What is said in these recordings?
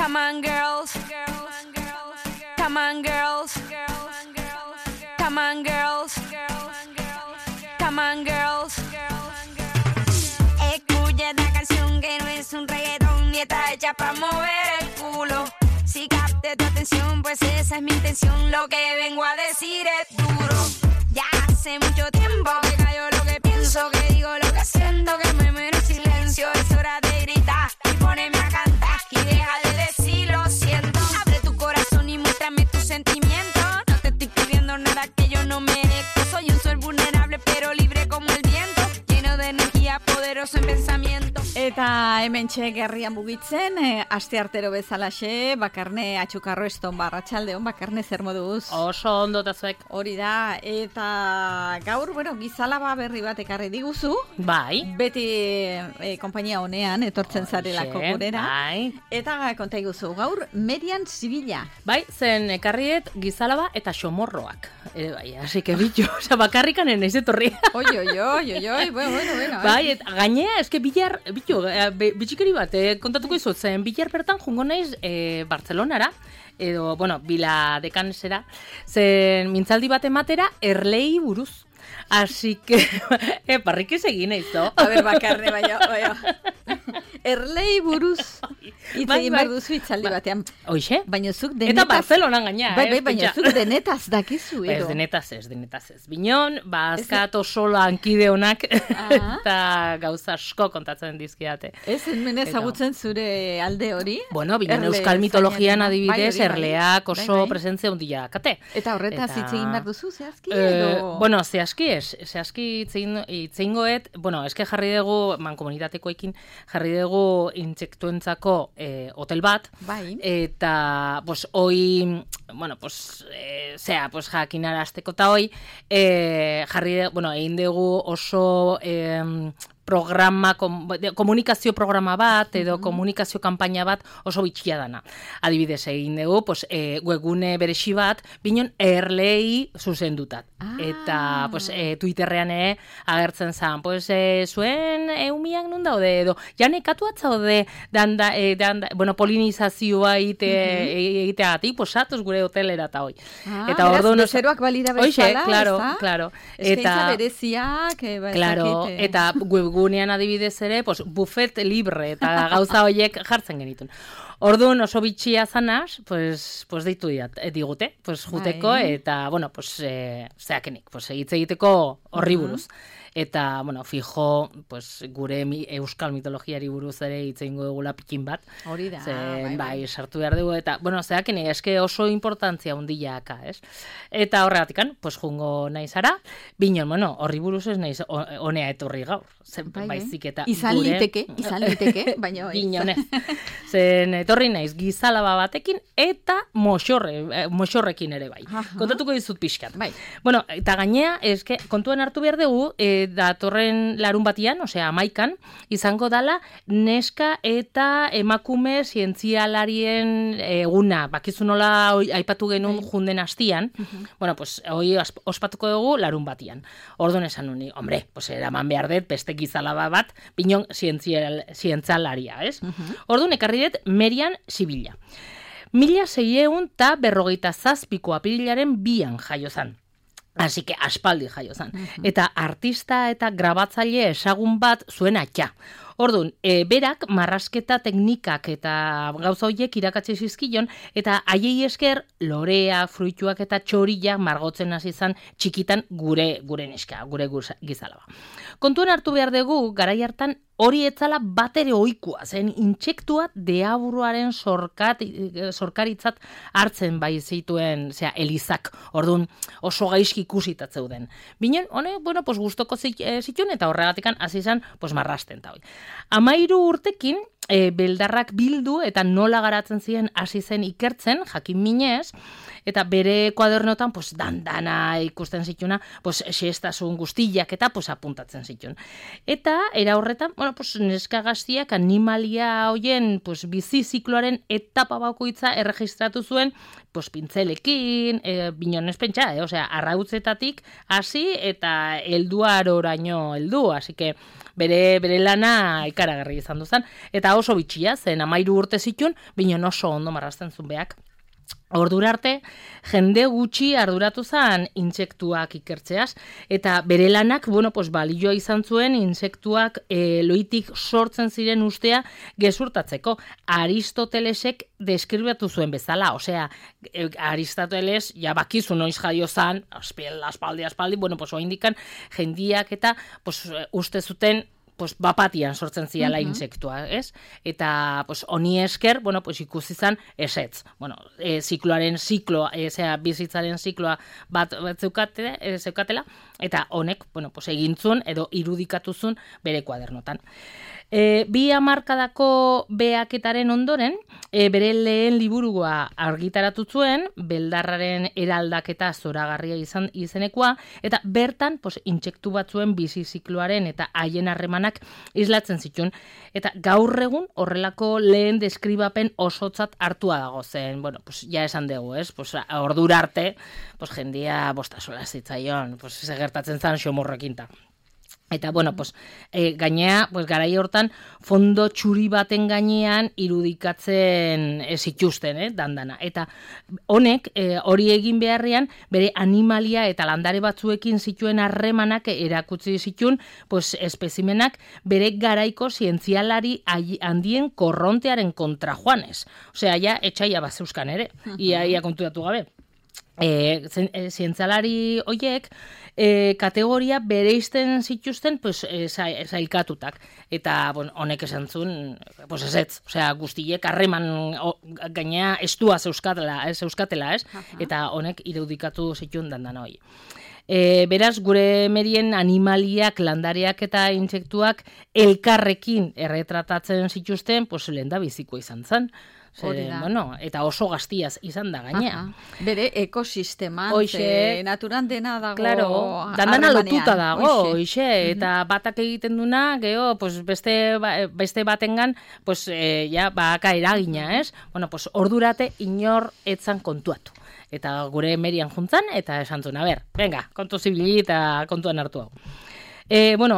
Come on, girls. Come on, girls. Come on, girls. Come on, girls. Escucha esta canción que no es un reggaetón ni está hecha para mover el culo. Si capte tu atención, pues esa es mi intención. Lo que vengo a decir es duro. Ya hace mucho tiempo que callo lo que pienso, que digo lo que siento, que me muero en silencio. Es hora de gritar y ponerme a cantar y deja de decir lo siento. Abre tu corazón y muéstrame tus sentimientos. No te estoy pidiendo nada que yo no merezco. Soy un ser vulnerable pero libre como el viento, lleno de energía, poderoso en pensamiento. Eta hementxe gerrian mugitzen, asteartero bezalaxe, Bakarne Atxukarro Eston Barratxaldeon, Bakarne zer moduz? Oso ondo tazuek. Hori da, eta gaur, gizalaba berri bat ekarri diguzu. Bai. Beti konpainia honean, etortzen zarelako gurera. Bai. Eta konta iguzu, gaur, Merian Zibila. Bai, zen ekarriet gizalaba eta xomorroak. Bai, así que bicho, oza, bakarrikan enaiz etorri. Oi, bueno. Bai, eta gainea, eske bilar, bitxikeri bat, kontatuko izut, zen bilar bertan jungo naiz Bartzelonara, edo, Bila Dekanesera, zen mintzaldi bat ematera erlei buruz. Así que, parrikiz egin eizo. A ver, Bakarne, baina. Erlei buruz. Itzegin behar duzu itzaldi batean. Hoixe? Baina zuk denetaz... Eta Barcelonan gaina, baina zuk denetaz dakizu, edo. Ez denetaz ez. Binon, azkat oso lankide honak, eta gauza asko kontatzen dizkiate. Ez, hemen ezagutzen zure alde hori? Bueno, binon euskal mitologian adibidez, erleak oso presentzia handia kate. Eta horretaz itzegin behar duzu, zehazki, edo? Zehazki ez. Zehazki itzeingoet, eske jarri dugu, mankomunitatekoekin, jarri dugu intsektuentzako hotel bat, bai. Eta hoi, jakinarazteko eta hoi, jarri dugu, egin dugu oso programa, komunikazio programa bat, edo komunikazio kanpaina bat oso bitxia dana. Adibidez egin dugu, webgune beresi bat, binon erlei zuzendutat. Eta Twitterrean agertzen zen, zuen eumiak nun daude, edo janekatu atzaude polinizazioa egiteagatik, satuz gure hotelera eta hoi. Eta beraz, bezeroak balira bezala, claro. Eskaintza bereziak, eta webgunean adibidez ere, buffet libre eta gauza horiek jartzen genitun. Orduan oso bitxia zanaz, deitu digute, juteko, eta, zeakenik, hitz egiteko horri buruz. Eta, fijo, gure euskal mitologiari buruz ere hitz egingo dugula pikin bat. Hori da. Bai, sartu behar dugu, eta, zeakenik, eske oso importantzia hundia aka, ez? Eta horregatikan, jungo naizara, binon, horri buruz ez naiz honea etorri gaur. Baizik eta izan liteke, baina binonez. Zen etorri naiz gizalaba batekin eta moxorrekin ere bai. Kontatuko dizut pixkat. Bai. Eta gainea, eske kontuan hartu behar dugu, datorren larun batian, osea 11an, izango dala neska eta emakume zientzialarien eguna. Bakizu nola aipatu genuen junden hastian. Hoi ospatuko dugu larun batian. Orduan esan nuni, hombre, eraman behar dut, beste gizalaba bat, binon zientzialaria, ez? Orduan ekarri dut Merian Zibila. 1657 apirilaren 2an jaio zan. Así que aspaldi jaio zan. Eta artista eta grabatzaile ezagun bat zuen atxa. Orduan, berak marrasketa teknikak eta gauza horiek irakatsi zizkion, eta haiei esker lorea, fruituak eta txorilla margotzen hasi izan txikitan gure neska, gure gizalaba. Kontuan hartu behar dugu, garai hartan hori etzala batere ohikoa, zen intsektua deaburuaren sorkaritzat hartzen bai zituen, elizak, orduan oso gaizki ikusitat zeuden. Binen, gustoko zituen eta horregatikan hasi izan, marrasten eta hoi. 13 urtekin, beldarrak bildu eta nola garatzen ziren hasi zen ikertzen, jakin minez, eta bere kuadernotan, dandana ikusten zituna, xestasun guztiak eta apuntatzen zituen. Eta, era horretan, neska gaztiak animalia hoien bizi zikloaren etapa bakoitza erregistratu zuen, pintzelekin, binonez pentsa, arrautzetatik hasi eta helduaroraino heldu, así que bere lana ikaragarri izan duzan. Eta eta oso bitxia, zen 13 urte zitun, binen oso ondo marrazten zuen beak. Ordura arte, jende gutxi arduratu zen intsektuak ikertzeaz, eta bere lanak, balioa izan zuen intsektuak loitik sortzen ziren ustea gezurtatzeko. Aristotelesek deskribatu zuen bezala, osea, Aristoteles, ja bakizu noiz jaio zan, aspaldi, oindikan jendiak eta uste zuten bapatian sortzen ziala intsektua, ez? Eta honi esker, ikusi zan esetz. Bizitzaren zikloa bat zeukatela, eta honek, egintzun edo irudikatuzun bere kuadernotan. 2 hamarkadako beaketaren ondoren, bere lehen liburua argitaratu zuen, beldarraren eraldaketa zoragarria izenekoa, eta bertan intsektu batzuen bizi zikloaren eta haien harremanak islatzen zituen. Eta gaur egun horrelako lehen deskribapen osotzat hartua dago zen. Ja esan dugu, ez? Ordura arte, jendia bostasola zitzaion, segertatzen zan xomorrekinta. Eta, gainea, garai hortan, fondo txuri baten gainean irudikatzen zituzten, dandana. Eta honek, hori egin beharrean, bere animalia eta landare batzuekin zituen harremanak erakutsi zituen, espezimenak bere garaiko zientzialari handien korrontearen kontra joanez. Osea, ja, etxaia bat zeuskan ere, ia konturatu gabe. Zientzialari horiek kategoria bereizten zituzten zailkatutak. Eta honek esan zuen, ezetz, guztiek harreman gainea estua zeuzkatela, ez? Eta honek irudikatu zituen dandan hori. Beraz, gure merien animaliak, landareak eta intsektuak elkarrekin erretratatzen zituzten, lehen da biziko izan zen. Eta oso gaztiaz izan da gainea. Bere ekosisteman, naturan dena dago. Claro, dandana lotuta dago, eta batak egiten duna, geho, beste batengan, baka eragina, ez? Ordurate inor etzan kontuatu. Eta gure merian juntzan, eta esan zuen, venga, kontu zibili eta kontuan hartu hau.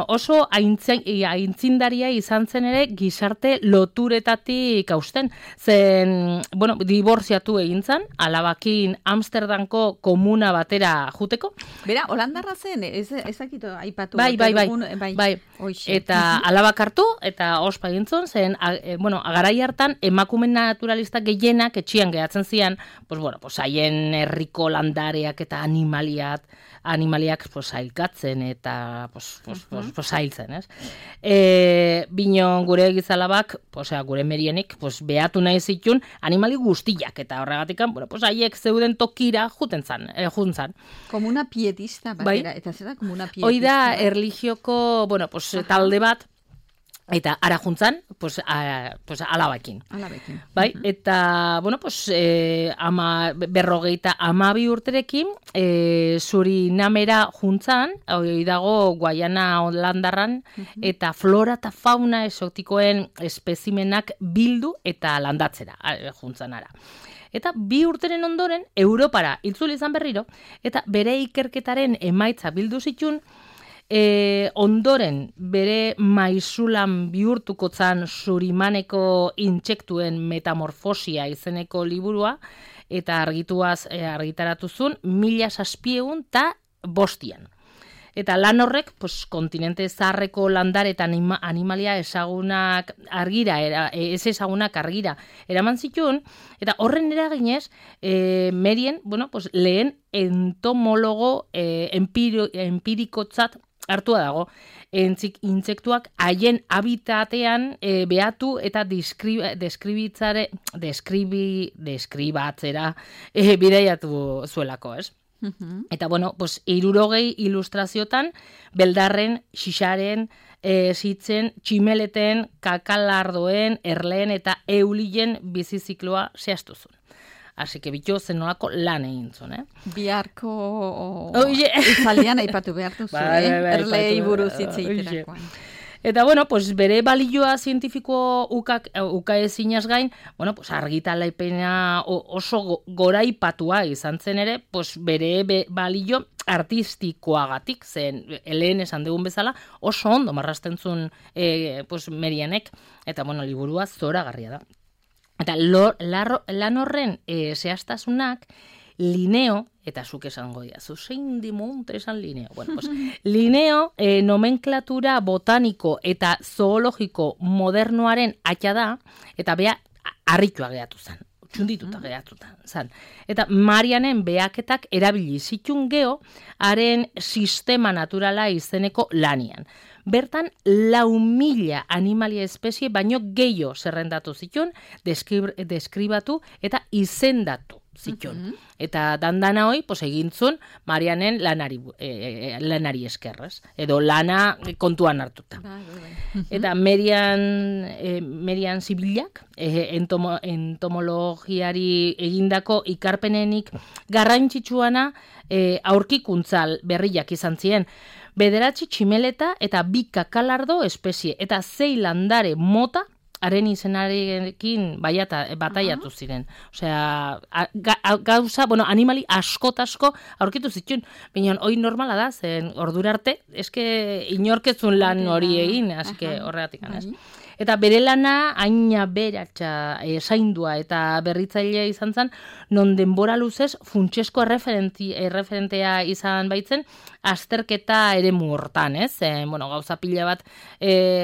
Oso aintzindaria izan zen ere gizarte loturetatik hausten. Zen, diborziatu egin zen, alabakin Amsterdamko komuna batera juteko. Bera, Holandarra zen, ezakito aipatu. Bai. Eta alabak hartu, eta ospa egin zen, garai hartan emakume naturalista gehienak etxian gehatzen zian, haien herriko landareak eta animaliak zailkatzen eta zailtzen, ez? Binon gure gizalabak, gure merienik, behatu nahi zitun animali guztiak, eta horregatikan, haiek zeuden tokira juntzan. Komuna pietista batera, eta zer da komuna pietista? Hoi da, erlijioko, talde bat, eta ara juntzan, alabakin. Bai, eta, 52 urterekin, Surinamera juntzan, hori dago Guayana Holandarran, eta flora eta fauna exotikoen espezimenak bildu eta landatzera juntzan ara. Eta 2 urteren ondoren, Europara itzuli izan berriro, eta bere ikerketaren emaitza bildu zitun, ondoren bere maizulan bihurtuko zan Surimaneko intsektuen metamorfosia izeneko liburua, eta argitaratu zuen 1705 Eta lan horrek, kontinente zaharreko landare eta animalia ezagunak argira, eraman zituen, eta horren eraginez, merien, lehen entomologo empirikotzat hartua dago. Intsektuak haien habitatean behatu eta deskribatzera bidaiatu zuelako, ez? Eta, 60 ilustraziotan, beldarren, xixaren, zitzen, tximeleten, kakalardoen, erleen eta eulien bizizikloa zehaztu zuen. Así que bitu zenolako lan egin zuen, Biharko izaldian aipatu behartu zuen, erlei buruz hitz egiterakoan. Eta, bueno, pues bere balioa zientifiko uka ezinaz gain, bueno, pues argitalaipena oso goraipatua izan zen ere, pues bere balio artistikoagatik, zen lehen esan dugun bezala, oso ondo marrasten zuen pues Marianek, eta, bueno, liburua zoragarria da. Eta lan horren zehaztasunak, Linneo, eta zuk esango diazu, zein dimonte esan Linneo. Bueno, pues, Linneo nomenklatura botaniko eta zoologiko modernoaren atxa da, eta bea harritua geratu zen, txundituta geratuta zen. Eta Marianen behaketak erabili zitun geho, haren sistema naturala izeneko lanian. Bertan 4.000 animalia espezie baino gehiago zerrendatu zituen, deskribatu eta izendatu zituen. Eta dandana hoi, pues, egintzun Marianen lanari eskerrez, edo lana kontuan hartuta. Eta Marian Zibilak, entomologiari egindako ikarpenenik garrantzitsuana aurkikuntzal berriak izan ziren. 9 tximeleta eta 2 kakalardo espezie, eta 6 landare mota haren izenarekin bataiatu ziren. Osea, gauza, bueno, animali asko aurkitu zituen. Baina hori normala da, zen ordura arte, eske inorkezun lan hori egin, aske horregatik anez. Eta bere lana aina beratxa zaindua eta berritzailea izan zen, non denbora luzez funtsesko erreferentea izan baitzen, azterketa eremu hortan, ez? Bueno, gauza pila bat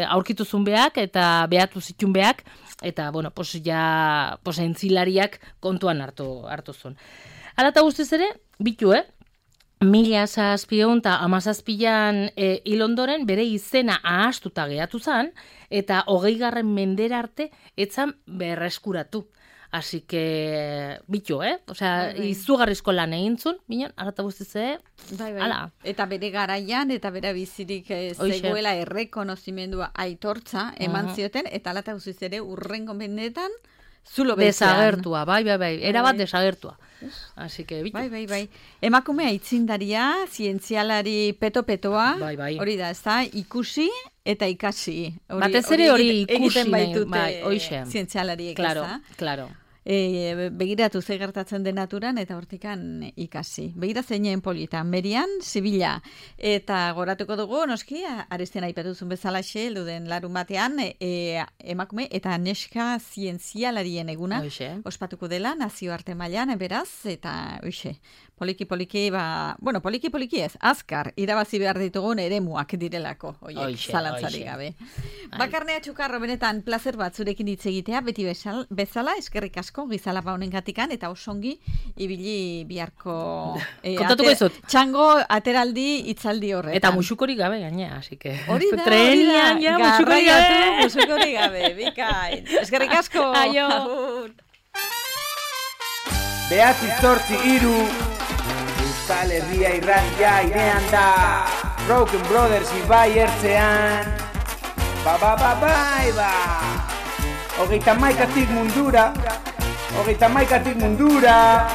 aurkituzun beak eta behatu zitun beak, eta, bueno, pues ja, pues entzilariak kontuan hartu zuen. Hala eta guztiz ere, bitu, 1717an hil ondoren bere izena ahastuta geratu zen, eta 20. mendera arte etzan berreskuratu. Así que, bitu, Osea, izugarrizko lan egintzun, binen, arata guztiz, ala. Eta bere garaian, eta bere bizirik zegoela errekonozimendua aitortza eman zioten, eta alata guztiz ere urrengo mendetan, zulo betzean. Desagertua, bai, erabat desagertua. Así que, bitu. Bai. Emakumea aitzindaria, zientzialari peto-petoa, hori da, ez da, ikusi eta ikasi. Batez ere hori ikusi, egiten baitute hoxe. Zientzialariek, ez da? Claro. Begiratu ze gertatzen den naturan eta hortikan ikasi. Begira zeinen polita, Marian Zibila. Eta goratuko dugu, noski, arestian aipatuzun bezalaxe, elduden larun batean, emakume eta neska zientzialarien eguna ospatuko dela, nazioarte mailan beraz, eta poliki, poliki ez, azkar, irabazi behar ditugun eremuak direlako, zalantzari gabe. Bakarnea Txukarro, benetan, plazer bat zurekin hitz egitea, beti bezala, eskerrik asko, gizalapa honen gatikan, eta osongi ibili biharko kontatuko izut. Txango ateraldi itzaldi horretan. Eta musukorik gabe gainea, así que... Hori da, musukorik gabe, bikain. Eskerrik asko. Aio. Behatzi 8-3, Euskal Herria irratia irean da, Broken Brothers ibai ertzean, bai. 31 mundura,